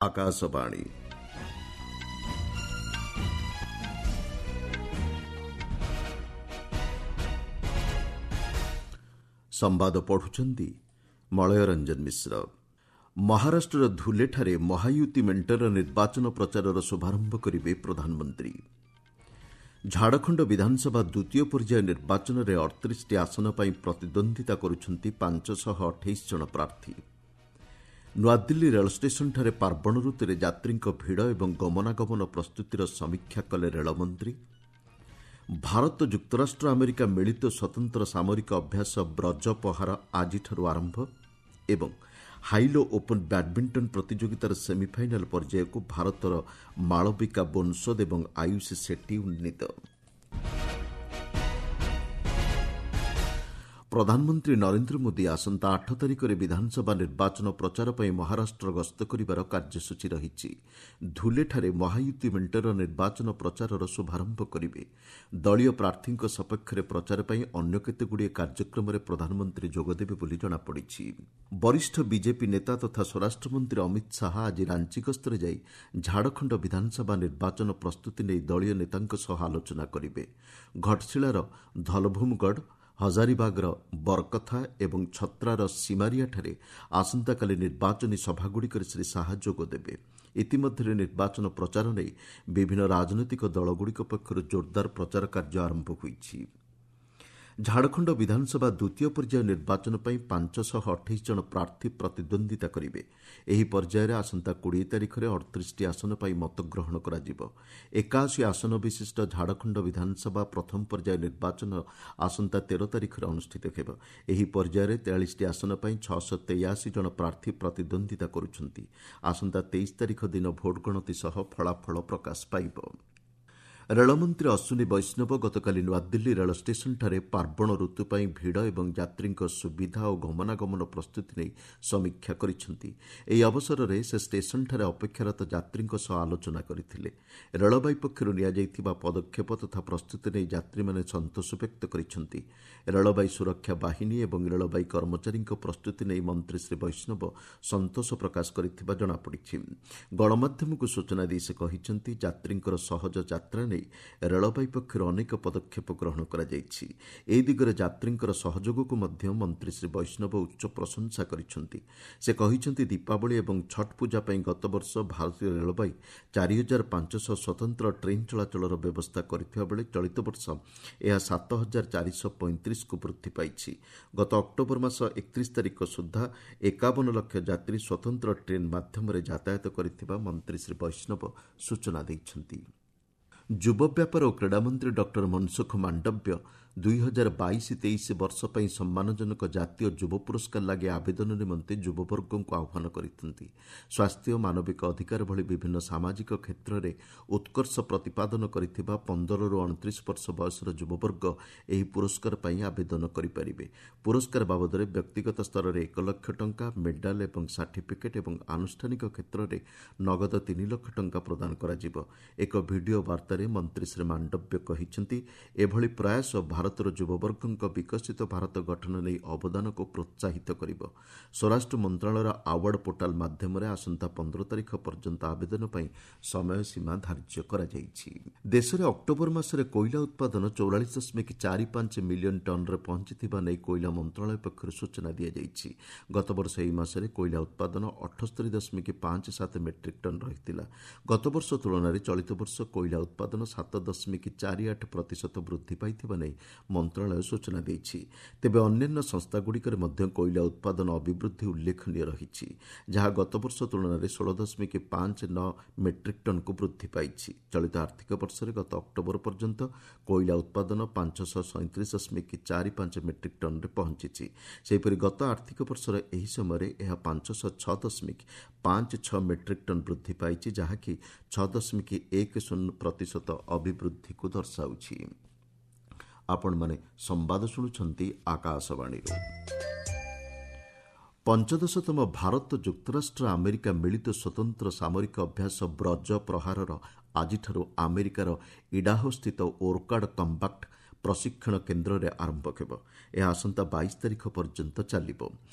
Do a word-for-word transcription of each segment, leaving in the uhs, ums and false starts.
ଆକାଶବାଣୀ। ସମ୍ବାଦ ପଢୁଛନ୍ତି ମଳୟ ରଞ୍ଜନ ମିଶ୍ର। ମହାରାଷ୍ଟ୍ରର ଧୁଲେଠାରେ ମହାୟୁତି ମେଣ୍ଟର ନିର୍ବାଚନ ପ୍ରଚାରର ଶୁଭାରମ୍ଭ କରିବେ ପ୍ରଧାନମନ୍ତ୍ରୀ। ଝାଡ଼ଖଣ୍ଡ ବିଧାନସଭା ଦ୍ୱିତୀୟ ପର୍ଯ୍ୟାୟ ନିର୍ବାଚନରେ ଅଠତିରିଶଟି ଆସନ ପାଇଁ ପ୍ରତିଦ୍ୱନ୍ଦ୍ୱିତା କରୁଛନ୍ତି ପାଞ୍ଚଶହ ଅଠେଇଶ ଜଣ ପ୍ରାର୍ଥୀ। ନୂଆଦିଲ୍ଲୀ ରେଳ ଷ୍ଟେସନଠାରେ ପାର୍ବଣ ଋତୁରେ ଯାତ୍ରୀଙ୍କ ଭିଡ଼ ଏବଂ ଗମନାଗମନ ପ୍ରସ୍ତୁତିର ସମୀକ୍ଷା କଲେ ରେଳମନ୍ତ୍ରୀ। ଭାରତ ଯୁକ୍ତରାଷ୍ଟ୍ର ଆମେରିକା ମିଳିତ ସ୍ୱତନ୍ତ୍ର ସାମରିକ ଅଭ୍ୟାସ ବ୍ରଜ ପହାର ଆଜିଠାରୁ ଆରମ୍ଭ ଏବଂ ହାଇଲୋ ଓପନ୍ ବ୍ୟାଡ୍ମିଣ୍ଟନ ପ୍ରତିଯୋଗିତାର ସେମିଫାଇନାଲ୍ ପର୍ଯ୍ୟାୟକୁ ଭାରତର ମାଳବିକା ବୋନ୍ସୋଦ ଏବଂ ଆୟୁଷି ସେଟ୍ଟି ଉନ୍ନୀତ। ପ୍ରଧାନମନ୍ତ୍ରୀ ନରେନ୍ଦ୍ର ମୋଦି ଆସନ୍ତା ଆଠ ତାରିଖରେ ବିଧାନସଭା ନିର୍ବାଚନ ପ୍ରଚାର ପାଇଁ ମହାରାଷ୍ଟ୍ର ଗସ୍ତ କରିବାର କାର୍ଯ୍ୟସୂଚୀ ରହିଛି। ଧୁଲେଠାରେ ମହାୟୁତି ମେଣ୍ଟର ନିର୍ବାଚନ ପ୍ରଚାରର ଶୁଭାରମ୍ଭ କରିବେ। ଦଳୀୟ ପ୍ରାର୍ଥୀଙ୍କ ସପକ୍ଷରେ ପ୍ରଚାର ପାଇଁ ଅନ୍ୟ କେତେଗୁଡ଼ିଏ କାର୍ଯ୍ୟକ୍ରମରେ ପ୍ରଧାନମନ୍ତ୍ରୀ ଯୋଗଦେବେ ବୋଲି ଜଣାପଡ଼ିଛି। ବରିଷ୍ଠ ବିଜେପି ନେତା ତଥା ସ୍ୱରାଷ୍ଟ୍ରମନ୍ତ୍ରୀ ଅମିତ ଶାହା ଆଜି ରାଞ୍ଚି ଗସ୍ତରେ ଯାଇ ଝାଡ଼ଖଣ୍ଡ ବିଧାନସଭା ନିର୍ବାଚନ ପ୍ରସ୍ତୁତି ନେଇ ଦଳୀୟ ନେତାଙ୍କ ସହ ଆଲୋଚନା କରିବେ। ଘଟଶିଳାର ଧଲଭୂମଗଡ଼, ହଜାରିବାଗର ବରକଥା ଏବଂ ଛତ୍ରାର ସିମାରିଆଠାରେ ଆସନ୍ତାକାଲି ନିର୍ବାଚନୀ ସଭାଗୁଡ଼ିକରେ ଶ୍ରୀ ଶାହା ଯୋଗଦେବେ। ଇତିମଧ୍ୟରେ ନିର୍ବାଚନ ପ୍ରଚାର ନେଇ ବିଭିନ୍ନ ରାଜନୈତିକ ଦଳଗୁଡ଼ିକ ପକ୍ଷରୁ ଜୋରଦାର ପ୍ରଚାର କାର୍ଯ୍ୟ ଆରମ୍ଭ ହୋଇଛି। ଝାଡ଼ଖଣ୍ଡ ବିଧାନସଭା ଦ୍ୱିତୀୟ ପର୍ଯ୍ୟାୟ ନିର୍ବାଚନ ପାଇଁ ପାଞ୍ଚଶହ ଅଠେଇଶ ଜଣ ପ୍ରାର୍ଥୀ ପ୍ରତିଦ୍ୱନ୍ଦ୍ୱିତା କରିବେ। ଏହି ପର୍ଯ୍ୟାୟରେ ଆସନ୍ତା କୋଡ଼ିଏ ତାରିଖରେ ଅଠତିରିଶଟି ଆସନ ପାଇଁ ମତଗ୍ରହଣ କରାଯିବ। ଏକାଅଶୀ ଆସନ ବିଶିଷ୍ଟ ଝାଡ଼ଖଣ୍ଡ ବିଧାନସଭା ପ୍ରଥମ ପର୍ଯ୍ୟାୟ ନିର୍ବାଚନ ଆସନ୍ତା ତେର ତାରିଖରେ ଅନୁଷ୍ଠିତ ହେବ। ଏହି ପର୍ଯ୍ୟାୟରେ ତେୟାଳିଶଟି ଆସନ ପାଇଁ ଛଅଶହ ତେୟାଅଶୀ ଜଣ ପ୍ରାର୍ଥୀ ପ୍ରତିଦ୍ୱନ୍ଦ୍ୱିତା କରୁଛନ୍ତି। ଆସନ୍ତା ତେଇଶ ତାରିଖ ଦିନ ଭୋଟ ଗଣତି ସହ ଫଳାଫଳ ପ୍ରକାଶ ପାଇବ। ରେଳମନ୍ତ୍ରୀ ଅଶ୍ୱିନୀ ବୈଷ୍ଣବ ଗତକାଲି ନୂଆଦିଲ୍ଲୀ ରେଳ ଷ୍ଟେସନଠାରେ ପାର୍ବଣ ଋତୁ ପାଇଁ ଭିଡ଼ ଏବଂ ଯାତ୍ରୀଙ୍କ ସୁବିଧା ଓ ଗମନାଗମନ ପ୍ରସ୍ତୁତି ନେଇ ସମୀକ୍ଷା କରିଛନ୍ତି। ଏହି ଅବସରରେ ସେ ଷ୍ଟେସନଠାରେ ଅପେକ୍ଷାରତ ଯାତ୍ରୀଙ୍କ ସହ ଆଲୋଚନା କରିଥିଲେ। ରେଳବାଇ ପକ୍ଷରୁ ନିଆଯାଇଥିବା ପଦକ୍ଷେପ ତଥା ପ୍ରସ୍ତୁତି ନେଇ ଯାତ୍ରୀମାନେ ସନ୍ତୋଷ ବ୍ୟକ୍ତ କରିଛନ୍ତି। ରେଳବାଇ ସୁରକ୍ଷା ବାହିନୀ ଏବଂ ରେଳବାଇ କର୍ମଚାରୀଙ୍କ ପ୍ରସ୍ତୁତି ନେଇ ମନ୍ତ୍ରୀ ଶ୍ରୀ ବୈଷ୍ଣବ ସନ୍ତୋଷ ପ୍ରକାଶ କରିଥିବା ଜଣାପଡ଼ିଛି। ଗଣମାଧ୍ୟମକୁ ସୂଚନା ଦେଇ ସେ କହିଛନ୍ତି, ଯାତ୍ରୀଙ୍କର ସହଜ ଯାତ୍ରା ନେଇ ରେଳବାଇ ପକ୍ଷରୁ ଅନେକ ପଦକ୍ଷେପ ଗ୍ରହଣ କରାଯାଇଛି। ଏ ଦିଗରେ ଯାତ୍ରୀଙ୍କର ସହଯୋଗକୁ ମଧ୍ୟ ମନ୍ତ୍ରୀ ଶ୍ରୀ ବୈଷ୍ଣବ ଉଚ୍ଚ ପ୍ରଶଂସା କରିଛନ୍ତି। ସେ କହିଛନ୍ତି, ଦୀପାବଳି ଏବଂ ଛଟ୍ ପୂଜା ପାଇଁ ଗତବର୍ଷ ଭାରତୀୟ ରେଳବାଇ ଚାରି ହଜାର ପାଞ୍ଚଶହ ସ୍ୱତନ୍ତ୍ର ଟ୍ରେନ୍ ଚଳାଚଳର ବ୍ୟବସ୍ଥା କରିଥିବା ବେଳେ ଚଳିତ ବର୍ଷ ଏହା ସାତ ହଜାର ଚାରିଶହ ପଇଁତିରିଶକୁ ବୃଦ୍ଧି ପାଇଛି। ଗତ ଅକ୍ଟୋବର ମାସ ଏକତିରିଶ ତାରିଖ ସୁଦ୍ଧା ଏକାବନ ଲକ୍ଷ ଯାତ୍ରୀ ସ୍ୱତନ୍ତ୍ର ଟ୍ରେନ୍ ମାଧ୍ୟମରେ ଯାତାୟାତ କରିଥିବା ମନ୍ତ୍ରୀ ଶ୍ରୀ ବୈଷ୍ଣବ ସୂଚନା ଦେଇଛନ୍ତି। ଯୁବ ବ୍ୟାପାର ଓ କ୍ରୀଡ଼ାମନ୍ତ୍ରୀ ଡକ୍ଟର ମନସୁଖ ମାଣ୍ଡବ୍ୟ ଦୁଇ ହଜାର ବାଇଶ ତେଇଶ ବର୍ଷ ପାଇଁ ସମ୍ମାନଜନକ ଜାତୀୟ ଯୁବ ପୁରସ୍କାର ଲାଗି ଆବେଦନ ନିମନ୍ତେ ଯୁବବର୍ଗଙ୍କୁ ଆହ୍ୱାନ କରିଛନ୍ତି। ସ୍ୱାସ୍ଥ୍ୟ, ମାନବିକ ଅଧିକାର ଭଳି ବିଭିନ୍ନ ସାମାଜିକ କ୍ଷେତ୍ରରେ ଉତ୍କର୍ଷ ପ୍ରତିପାଦନ କରିଥିବା ପନ୍ଦରରୁ ଅଣତିରିଶ ବର୍ଷ ବୟସର ଯୁବବର୍ଗ ଏହି ପୁରସ୍କାର ପାଇଁ ଆବେଦନ କରିପାରିବେ। ପୁରସ୍କାର ବାବଦରେ ବ୍ୟକ୍ତିଗତ ସ୍ତରରେ ଏକ ଲକ୍ଷ ଟଙ୍କା, ମେଡାଲ ଏବଂ ସାର୍ଟିଫିକେଟ୍ ଏବଂ ଆନୁଷ୍ଠାନିକ କ୍ଷେତ୍ରରେ ନଗଦ ତିନି ଲକ୍ଷ ଟଙ୍କା ପ୍ରଦାନ କରାଯିବ। ଏକ ଭିଡିଓ ବାର୍ତ୍ତାରେ ମନ୍ତ୍ରୀ ଶ୍ରୀ ମାଣ୍ଡବ୍ୟ କହିଛନ୍ତି, ଏଭଳି ପ୍ରୟାସ ଭାରତର ଯୁବବର୍ଗଙ୍କ ବିକଶିତ ଭାରତ ଗଠନ ନେଇ ଅବଦାନକୁ ପ୍ରୋତ୍ସାହିତ କରିବ। ସ୍ୱରାଷ୍ଟ୍ର ମନ୍ତ୍ରଣାଳୟର ଆୱାର୍ଡ ପୋର୍ଟାଲ ମାଧ୍ୟମରେ ଆସନ୍ତା ପନ୍ଦର ତାରିଖ ପର୍ଯ୍ୟନ୍ତ ଆବେଦନ ପାଇଁ ସମୟସୀମା ଧାର୍ଯ୍ୟ କରାଯାଇଛି। ଦେଶରେ ଅକ୍ଟୋବର ମାସରେ କୋଇଲା ଉତ୍ପାଦନ ଚଉରାଳିଶ ଦଶମିକ ଚାରି ପାଞ୍ଚ ମିଲିୟନ ଟନ୍ରେ ପହଞ୍ଚିଥିବା ନେଇ କୋଇଲା ମନ୍ତ୍ରଣାଳୟ ପକ୍ଷରୁ ସୂଚନା ଦିଆଯାଇଛି। ଗତବର୍ଷ ଏହି ମାସରେ କୋଇଲା ଉତ୍ପାଦନ ଅଠସ୍ତରୀ ଦଶମିକ ପାଞ୍ଚ ସାତ ମେଟ୍ରିକ୍ ଟନ୍ ରହିଥିଲା। ଗତବର୍ଷ ତୁଳନାରେ ଚଳିତ ବର୍ଷ କୋଇଲା ଉତ୍ପାଦନ ସାତ ଦଶମିକ ଚାରି ଆଠ ପ୍ରତିଶତ ବୃଦ୍ଧି ପାଇଥିବା ନେଇ ମନ୍ତ୍ରଣାଳୟ ସୂଚନା ଦେଇଛି। ତେବେ ଅନ୍ୟାନ୍ୟ ସଂସ୍ଥାଗୁଡ଼ିକରେ ମଧ୍ୟ କୋଇଲା ଉତ୍ପାଦନ ଅଭିବୃଦ୍ଧି ଉଲ୍ଲେଖନୀୟ ରହିଛି, ଯାହା ଗତବର୍ଷ ତୁଳନାରେ ଷୋହଳ ଦଶମିକ ପାଞ୍ଚ ନଅ ମେଟ୍ରିକ୍ ଟନ୍କୁ ବୃଦ୍ଧି ପାଇଛି। ଚଳିତ ଆର୍ଥିକ ବର୍ଷରେ ଗତ ଅକ୍ଟୋବର ପର୍ଯ୍ୟନ୍ତ କୋଇଲା ଉତ୍ପାଦନ ପାଞ୍ଚଶହ ସଇଁତିରିଶ ଦଶମିକ ଚାରି ପାଞ୍ଚ ମେଟ୍ରିକ୍ ଟନ୍ରେ ପହଞ୍ଚିଛି। ସେହିପରି ଗତ ଆର୍ଥିକ ବର୍ଷର ଏହି ସମୟରେ ଏହା ପାଞ୍ଚଶହ ଛଅ ଦଶମିକ ପାଞ୍ଚ ଛଅ ମେଟ୍ରିକ୍ ଟନ୍ ବୃଦ୍ଧି ପାଇଛି, ଯାହାକି ଛଅ ଦଶମିକ ଏକ ଶୂନ ପ୍ରତିଶତ ଅଭିବୃଦ୍ଧିକୁ ଦର୍ଶାଉଛି। ଆପଣମାନେ ସମ୍ବାଦ ଶୁଣୁଛନ୍ତି ଆକାଶବାଣୀରୁ। ପଞ୍ଚଦଶତମ ଭାରତ ଯୁକ୍ତରାଷ୍ଟ୍ର ଆମେରିକା ମିଳିତ ସ୍ୱତନ୍ତ୍ର ସାମରିକ ଅଭ୍ୟାସ ବ୍ରଜ ପ୍ରହାରର ଆଜିଠାରୁ ଆମେରିକାର ଇଡାହୋସ୍ଥିତ ଓର୍କାଡ୍ କମ୍ବାକ୍ଟ ପ୍ରଶିକ୍ଷଣ କେନ୍ଦ୍ରରେ ଆରମ୍ଭ ହେବ। ଏହା ଆସନ୍ତା ବାଇଶ ତାରିଖ ପର୍ଯ୍ୟନ୍ତ ଚାଲିବ।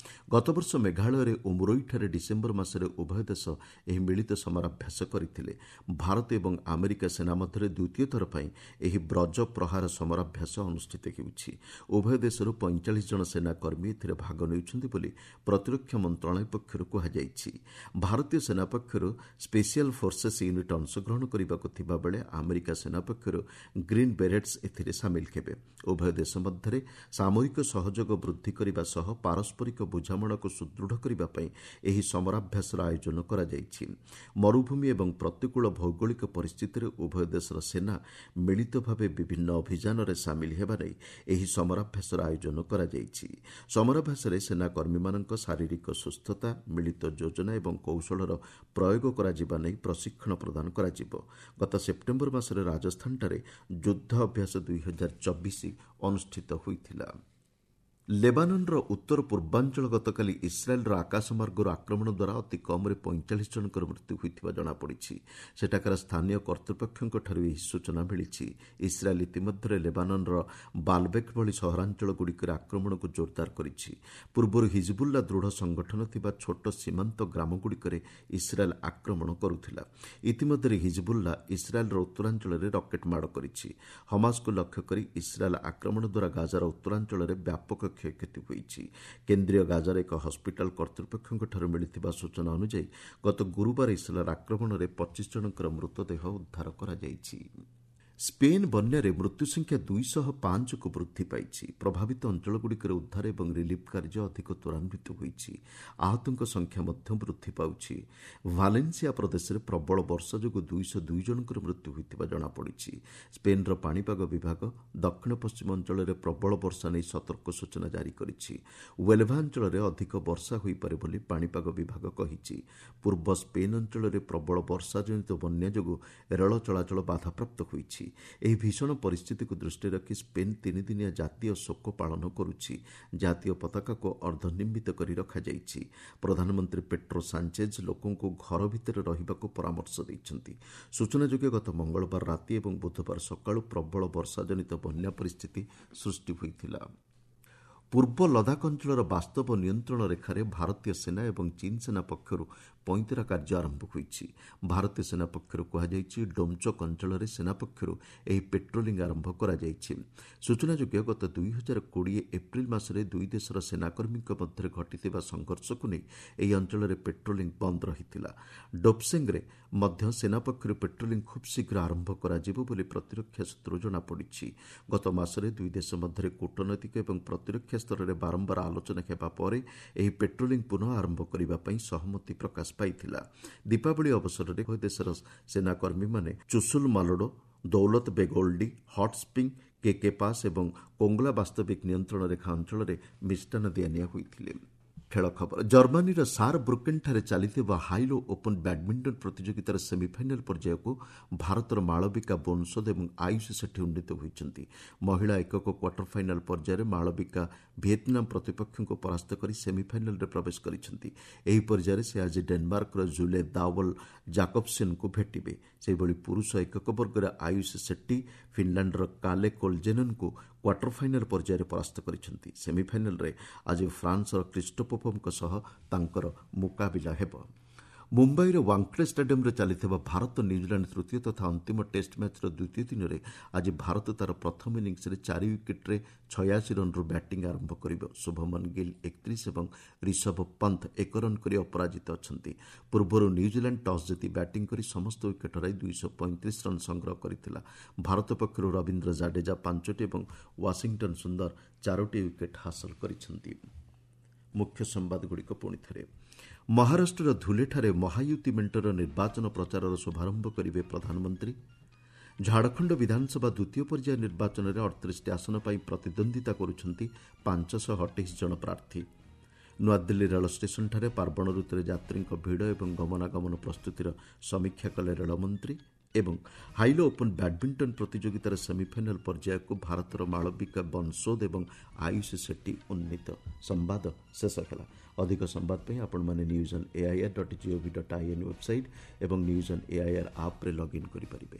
ଗତବର୍ଷ ମେଘାଳୟରେ ଉମରୋଇଠାରେ ଡିସେମ୍ବର ମାସରେ ଉଭୟ ଦେଶ ଏହି ମିଳିତ ସମରାଭ୍ୟାସ କରିଥିଲେ। ଭାରତ ଏବଂ ଆମେରିକା ସେନା ମଧ୍ୟରେ ଦ୍ୱିତୀୟ ଥର ପାଇଁ ଏହି ବ୍ରଜ ପ୍ରହାର ସମରାଭ୍ୟାସ ଅନୁଷ୍ଠିତ ହେଉଛି। ଉଭୟ ଦେଶରୁ ପଇଁଚାଳିଶ ଜଣ ସେନାକର୍ମୀ ଏଥିରେ ଭାଗ ନେଉଛନ୍ତି ବୋଲି ପ୍ରତିରକ୍ଷା ମନ୍ତ୍ରଣାଳୟ ପକ୍ଷରୁ କୁହାଯାଇଛି। ଭାରତୀୟ ସେନା ପକ୍ଷରୁ ସ୍ପେଶିଆଲ ଫୋର୍ସେସ୍ ୟୁନିଟ୍ ଅଂଶଗ୍ରହଣ କରିବାକୁ ଥିବାବେଳେ ଆମେରିକା ସେନା ପକ୍ଷରୁ ଗ୍ରୀନ୍ ବେରେଟ୍ସ ଏଥିରେ ସାମିଲ ହେବେ। ଉଭୟ ଦେଶ ମଧ୍ୟରେ ସାମରିକ ସହଯୋଗ ବୃଦ୍ଧି କରିବା ସହ ପାରସ୍ପରିକ ବୁଝାମଣାକୁ ସୁଦୃଢ଼ କରିବା ପାଇଁ ଏହି ସମରାଭ୍ୟାସର ଆୟୋଜନ କରାଯାଇଛି। ମରୁଭୂମି ଏବଂ ପ୍ରତିକୂଳ ଭୌଗୋଳିକ ପରିସ୍ଥିତିରେ ଉଭୟ ଦେଶର ସେନା ମିଳିତ ଭାବେ ବିଭିନ୍ନ ଅଭିଯାନରେ ସାମିଲ ହେବା ନେଇ ଏହି ସମରାଭ୍ୟାସର ଆୟୋଜନ କରାଯାଇଛି। ସମରାଭ୍ୟାସରେ ସେନାକର୍ମୀମାନଙ୍କ ଶାରୀରିକ ସୁସ୍ଥତା, ମିଳିତ ଯୋଜନା ଏବଂ କୌଶଳର ପ୍ରୟୋଗ କରାଯିବା ନେଇ ପ୍ରଶିକ୍ଷଣ ପ୍ରଦାନ କରାଯିବ। ଗତ ସେପ୍ଟେମ୍ବର ମାସରେ ରାଜସ୍ଥାନଠାରେ ଯୁଦ୍ଧ ଅଭ୍ୟାସ ଦୁଇ ହଜାର ଚବିଶ ଅନୁଷ୍ଠିତ ହୋଇଥିଲା। ଲେବାନନ୍ର ଉତ୍ତର ପୂର୍ବାଞ୍ଚଳ ଗତକାଲି ଇସ୍ରାଏଲ୍ର ଆକାଶମାର୍ଗରୁ ଆକ୍ରମଣ ଦ୍ୱାରା ଅତି କମ୍ରେ ପଇଁଚାଳିଶ ଜଣଙ୍କର ମୃତ୍ୟୁ ହୋଇଥିବା ଜଣାପଡ଼ିଛି। ସେଠାକାର ସ୍ଥାନୀୟ କର୍ତ୍ତୃପକ୍ଷଙ୍କଠାରୁ ଏହି ସୂଚନା ମିଳିଛି। ଇସ୍ରାଏଲ୍ ଇତିମଧ୍ୟରେ ଲେବାନନ୍ର ବାଲବେକ୍ ଭଳି ସହରାଞ୍ଚଳଗୁଡ଼ିକରେ ଆକ୍ରମଣକୁ ଜୋରଦାର କରିଛି। ପୂର୍ବରୁ ହିଜବୁଲ୍ଲା ଦୃଢ଼ ସଂଗଠନ ଥିବା ଛୋଟ ସୀମାନ୍ତ ଗ୍ରାମଗୁଡ଼ିକରେ ଇସ୍ରାଏଲ୍ ଆକ୍ରମଣ କରୁଥିଲା। ଇତିମଧ୍ୟରେ ହିଜବୁଲ୍ଲା ଇସ୍ରାଏଲ୍ର ଉତ୍ତରାଞ୍ଚଳରେ ରକେଟ୍ ମାଡ଼ କରିଛି। ହମାସକୁ ଲକ୍ଷ୍ୟ କରି ଇସ୍ରାଏଲ୍ ଆକ୍ରମଣ ଦ୍ୱାରା ଗାଜାର ଉତ୍ତରାଞ୍ଚଳରେ ବ୍ୟାପକ କ୍ଷୟକ୍ଷତି ହୋଇଛି। କେନ୍ଦ୍ରୀୟ ଗାଜାର ଏକ ହସ୍ପିଟାଲ କର୍ତ୍ତୃପକ୍ଷଙ୍କଠାରୁ ମିଳିଥିବା ସୂଚନା ଅନୁଯାୟୀ ଗତ ଗୁରୁବାର ଇସ୍ରାଏଲ୍ ଆକ୍ରମଣରେ ପଚିଶ ଜଣଙ୍କର ମୃତଦେହ ଉଦ୍ଧାର କରାଯାଇଛି। ସ୍ପେନ୍ ବନ୍ୟାରେ ମୃତ୍ୟୁ ସଂଖ୍ୟା ଦୁଇଶହ ପାଞ୍ଚକୁ ବୃଦ୍ଧି ପାଇଛି। ପ୍ରଭାବିତ ଅଞ୍ଚଳଗୁଡ଼ିକରେ ଉଦ୍ଧାର ଏବଂ ରିଲିଫ୍ କାର୍ଯ୍ୟ ଅଧିକ ତ୍ୱରାନ୍ୱିତ ହୋଇଛି। ଆହତଙ୍କ ସଂଖ୍ୟା ମଧ୍ୟ ବୃଦ୍ଧି ପାଉଛି। ଭାଲେନ୍ସିଆ ପ୍ରଦେଶରେ ପ୍ରବଳ ବର୍ଷା ଯୋଗୁଁ ଦୁଇଶହ ଦୁଇ ଜଣଙ୍କର ମୃତ୍ୟୁ ହୋଇଥିବା ଜଣାପଡ଼ିଛି। ସ୍ପେନ୍ର ପାଣିପାଗ ବିଭାଗ ଦକ୍ଷିଣ ପଶ୍ଚିମ ଅଞ୍ଚଳରେ ପ୍ରବଳ ବର୍ଷା ନେଇ ସତର୍କ ସୂଚନା ଜାରି କରିଛି। ୱେଲଭା ଅଞ୍ଚଳରେ ଅଧିକ ବର୍ଷା ହୋଇପାରେ ବୋଲି ପାଣିପାଗ ବିଭାଗ କହିଛି। ପୂର୍ବ ସ୍ପେନ୍ ଅଞ୍ଚଳରେ ପ୍ରବଳ ବର୍ଷାଜନିତ ବନ୍ୟା ଯୋଗୁଁ ରେଳ ଚଳାଚଳ ବାଧାପ୍ରାପ୍ତ ହୋଇଛି। ଏହି ଭୀଷଣ ପରିସ୍ଥିତିକୁ ଦୃଷ୍ଟିରେ ରଖି ସ୍ପେନ୍ ତିନିଦିନିଆ ଜାତୀୟ ଶୋକ ପାଳନ କରୁଛି। ଜାତୀୟ ପତାକାକୁ ଅର୍ଦ୍ଧନିର୍ମିତ କରି ରଖାଯାଇଛି। ପ୍ରଧାନମନ୍ତ୍ରୀ ପେଟ୍ରୋ ସାଞ୍ଚେଜ୍ ଲୋକଙ୍କୁ ଘର ଭିତରେ ରହିବାକୁ ପରାମର୍ଶ ଦେଇଛନ୍ତି। ସୂଚନାଯୋଗ୍ୟ, ଗତ ମଙ୍ଗଳବାର ରାତି ଏବଂ ବୁଧବାର ସକାଳୁ ପ୍ରବଳ ବର୍ଷାଜନିତ ବନ୍ୟା ପରିସ୍ଥିତି ସୃଷ୍ଟି ହୋଇଥିଲା। ପୂର୍ବ ଲଦାଖ ଅଞ୍ଚଳର ବାସ୍ତବ ନିୟନ୍ତ୍ରଣ ରେଖାରେ ଭାରତୀୟ ସେନା ଏବଂ ଚୀନ୍ ସେନା ପକ୍ଷରୁ ପଇଁତରା କାର୍ଯ୍ୟ ଆରମ୍ଭ ହୋଇଛି। ଭାରତୀୟ ସେନା ପକ୍ଷରୁ କୁହାଯାଇଛି, ଡୋମଚୋକ୍ ଅଞ୍ଚଳରେ ସେନା ପକ୍ଷରୁ ଏହି ପେଟ୍ରୋଲିଂ ଆରମ୍ଭ କରାଯାଇଛି। ସୂଚନାଯୋଗ୍ୟ, ଗତ ଦୁଇ ହଜାର କୋଡ଼ିଏ ଏପ୍ରିଲ ମାସରେ ଦୁଇ ଦେଶର ସେନାକର୍ମୀଙ୍କ ମଧ୍ୟରେ ଘଟିଥିବା ସଂଘର୍ଷକୁ ନେଇ ଏହି ଅଞ୍ଚଳରେ ପେଟ୍ରୋଲିଂ ବନ୍ଦ ରହିଥିଲା। ଡୋପସେଙ୍ଗରେ ମଧ୍ୟ ସେନା ପକ୍ଷରୁ ପେଟ୍ରୋଲିଂ ଖୁବ୍ ଶୀଘ୍ର ଆରମ୍ଭ କରାଯିବ ବୋଲି ପ୍ରତିରକ୍ଷା ସୂତ୍ରରୁ ଜଣାପଡ଼ିଛି। ଗତ ମାସରେ ଦୁଇ ଦେଶ ମଧ୍ୟରେ କୂଟନୈତିକ ଏବଂ ପ୍ରତିରକ୍ଷା ସ୍ତରରେ ବାରମ୍ବାର ଆଲୋଚନା ହେବା ପରେ ଏହି ପେଟ୍ରୋଲିଂ ପୁନଃ ଆରମ୍ଭ କରିବା ପାଇଁ ସହମତି ପ୍ରକାଶ ପାଇଥିଲା। ଦୀପାବଳି ଅବସରରେ ଉଭୟ ଦେଶର ସେନାକର୍ମୀମାନେ ଚୁସୁଲ ମାଲୋଡୋ, ଦୌଲତ ବେଗୋଲ୍ଡି, ହଟ୍ ସ୍ପ୍ରିଙ୍ଗ, କେକେ ପାସ୍ ଏବଂ କୋଙ୍ଗଲା ବାସ୍ତବିକ ନିୟନ୍ତ୍ରଣ ରେଖା ଅଞ୍ଚଳରେ ମିଷ୍ଟାନ୍ନ ଦିଆନିଆ ହୋଇଥିଲେ। ଖେଳ ଖବର। ଜର୍ମାନୀର ସାର୍ ବ୍ରୁକେନ୍ଠାରେ ଚାଲିଥିବା ହାଇଲୋ ଓପନ୍ ବ୍ୟାଡମିଣ୍ଟନ ପ୍ରତିଯୋଗିତାର ସେମିଫାଇନାଲ୍ ପର୍ଯ୍ୟାୟକୁ ଭାରତର ମାଳବିକା ବୋନସୋଦ ଏବଂ ଆୟୁଷ ସେଠୀ ଉନ୍ନୀତ ହୋଇଛନ୍ତି। ମହିଳା ଏକକ କ୍ୱାର୍ଟର ଫାଇନାଲ୍ ପର୍ଯ୍ୟାୟରେ ମାଳବିକା ଭିଏତନାମ ପ୍ରତିପକ୍ଷଙ୍କୁ ପରାସ୍ତ କରି ସେମିଫାଇନାଲ୍ରେ ପ୍ରବେଶ କରିଛନ୍ତି। ଏହି ପର୍ଯ୍ୟାୟରେ ସେ ଆଜି ଡେନମାର୍କର ଜୁଲେ ଦାୱଲ ଜାକବସେନ୍ଙ୍କୁ ଭେଟିବେ। ସେହିଭଳି ପୁରୁଷ ଏକକ ବର୍ଗରେ ଆୟୁଷ ସେଟ୍ଟି ଫିନଲାଣ୍ଡର କାଲେ କୋଲଜେନନ୍ଙ୍କୁ କ୍ୱାର୍ଟର ଫାଇନାଲ୍ ପର୍ଯ୍ୟାୟରେ ପରାସ୍ତ କରିଛନ୍ତି। ସେମିଫାଇନାଲ୍ରେ ଆଜି ଫ୍ରାନ୍ସର କ୍ରିଷ୍ଟୋପୋପଙ୍କ ସହ ତାଙ୍କର ମୁକାବିଲା ହେବ। ମୁମ୍ବାଇର ୱାଙ୍ଗଡେ ଷ୍ଟାଡିୟମ୍ରେ ଚାଲିଥିବା ଭାରତ ନ୍ୟୁଜିଲାଣ୍ଡ ତୃତୀୟ ତଥା ଅନ୍ତିମ ଟେଷ୍ଟ ମ୍ୟାଚ୍ର ଦ୍ୱିତୀୟ ଦିନରେ ଆଜି ଭାରତ ତା'ର ପ୍ରଥମ ଇନିଂସରେ ଚାରି ୱିକେଟ୍ରେ ଛୟାଅଶୀ ରନ୍ରୁ ବ୍ୟାଟିଂ ଆରମ୍ଭ କରିବ। ଶୁଭମନ ଗିଲ୍ ଏକତିରିଶ ଏବଂ ରିଷଭ ପନ୍ଥ ଏକ ରନ୍ କରି ଅପରାଜିତ ଅଛନ୍ତି। ପୂର୍ବରୁ ନ୍ୟୁଜିଲାଣ୍ଡ ଟସ୍ ଜିତି ବ୍ୟାଟିଂ କରି ସମସ୍ତ ୱିକେଟ୍ ହରାଇ ଦୁଇଶହ ପଇଁତିରିଶ ରନ୍ ସଂଗ୍ରହ କରିଥିଲା। ଭାରତ ପକ୍ଷରୁ ରବୀନ୍ଦ୍ର ଜାଡେଜା ପାଞ୍ଚଟି ଏବଂ ୱାଶିଂଟନ୍ ସୁନ୍ଦର ଚାରୋଟି ୱିକେଟ୍ ହାସଲ କରିଛନ୍ତି। ମୁଖ୍ୟ ସମ୍ବାଦଗୁଡ଼ିକ ପୁଣି ଥରେ। ମହାରାଷ୍ଟ୍ରର ଧୁଲେଠାରେ ମହାୟୁତି ମେଣ୍ଟର ନିର୍ବାଚନ ପ୍ରଚାରର ଶୁଭାରମ୍ଭ କରିବେ ପ୍ରଧାନମନ୍ତ୍ରୀ। ଝାଡ଼ଖଣ୍ଡ ବିଧାନସଭା ଦ୍ୱିତୀୟ ପର୍ଯ୍ୟାୟ ନିର୍ବାଚନରେ ଅଠତିରିଶଟି ଆସନ ପାଇଁ ପ୍ରତିଦ୍ୱନ୍ଦ୍ୱିତା କରୁଛନ୍ତି ପାଞ୍ଚଶହ ଅଠେଇଶ ଜଣ ପ୍ରାର୍ଥୀ। ନୂଆଦିଲ୍ଲୀ ରେଳ ଷ୍ଟେସନଠାରେ ପାର୍ବଣ ଋତୁରେ ଯାତ୍ରୀଙ୍କ ଭିଡ଼ ଏବଂ ଗମନାଗମନ ପ୍ରସ୍ତୁତିର ସମୀକ୍ଷା କଲେ ରେଳମନ୍ତ୍ରୀ। ଏବଂ ହାଇଲୋ ଓପନ୍ ବ୍ୟାଡମିଣ୍ଟନ ପ୍ରତିଯୋଗିତାର ସେମିଫାଇନାଲ୍ ପର୍ଯ୍ୟାୟକୁ ଭାରତର ମାଳବିକା ବନସୋଦ ଏବଂ ଆୟୁଷ ସେଟ୍ଟି ଉନ୍ନୀତ। ସମ୍ବାଦ ଶେଷ ହେଲା। ଅଧିକ ସମ୍ବାଦ ପାଇଁ ଆପଣମାନେ news on AIR dot GOV dot IN website ଏବଂ ନ୍ୟୁଜ୍ ଅନ୍ ଏଆଇଆର୍ ଆପ୍ରେ ଲଗ୍ଇନ୍ କରିପାରିବେ।